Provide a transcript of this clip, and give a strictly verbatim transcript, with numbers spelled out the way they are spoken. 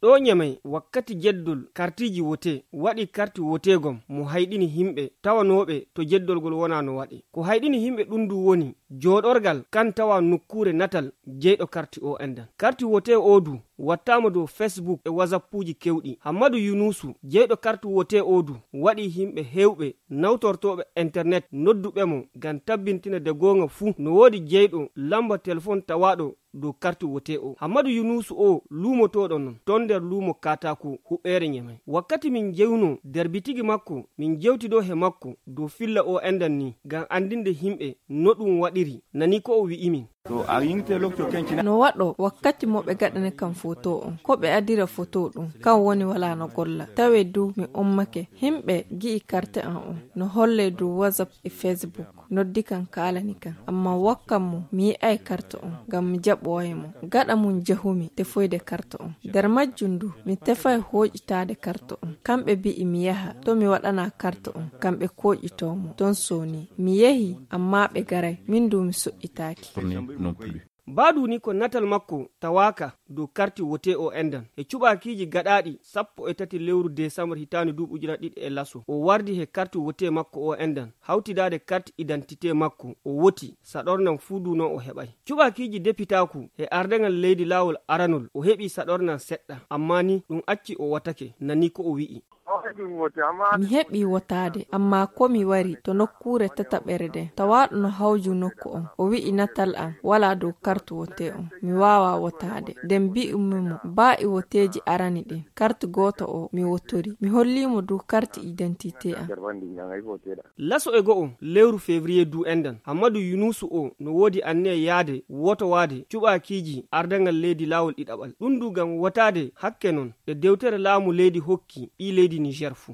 ɗo nyamai wakkati jeddol kartiji wote waɗi karti wotegom mo hayɗini himɓe tawanoɓe to jeddolgol wona no waɗi. Ko hayɗini himɓe ɗum du woni joɗorgal kan tawa nokkure natal jeyɗo karti o endan. Karti wote odu wattama dow Facebook e wazappuji kewɗi. Hammadou Yunusu jeyɗo karti wote odu waɗi himɓe hewɓe nawtortoɓe internet nodduɓe mo ngam tabbintina de gonga fuu no wodi jeyɗo lamba téléphone tawaɗo dow karti wote o. Hammadou Yunusu o lumotoɗo non ton nder lumo katako huɓɓere nyamai. Wakkati min jewno der bitigi makko min jewtido he makko dow filla o endan ni ngam andinde himɓe no ɗum waɗiri nani ko o wi'imin. No waɗo wakkati mo ɓe gaɗane kam foto on ko ɓe adira foto ɗum kan woni wala no golla tawe du mi ummake himɓe gi'i karte an on no holle dow WhatsApp e Facebook noddi kan kalani kan amma wakkam mo mi yi'ai karte on ngam mi jaɓoye mo gaɗa mum jehumi tefoyde karte on nder majjum du mi tefai hoƴitade karte on kamɓe bi'i mi yaha to mi waɗana karte on kamɓe koƴitomo ton soni mi yehi amma ɓe garai min du mi soƴƴitaki. Baadu ni ko natal makko tawaka dow karti wote o endan e cuɓakiji gaɗaɗi sappo e tati lewru décembre hitani duuɓi ujuna ɗiɗi e laso o wardi he karti wote makko o endan hawtidade karti identité makko o woti saɗornan fuudu non o heɓay. Cuɓakiji depitaku e ardengal leydi lawol aranol o heɓi saɗornan seɗɗa amma ni ɗum acci o watake nani ko o wi'i. Mi heɓi wotade amma ko mi wari to nokkure tataɓere den tawaɗo no hawju nokku on o wi'i natal an wala dow kartu wote on mi wawa wotade nden bi'umimo ba'i woteji arani ɗin kartu goto o mi wottori mi hollimo dow karti identité an. Laso e go'o lewru février du endan Hammadou Yunusu o no wodi anne yaade woto wade cuɓakiji ardangal leydi lawol ɗiɗaɓal ɗum du gam wotade hakke non e dewtere laamu leydi hokki ɓi leydi Niger fu.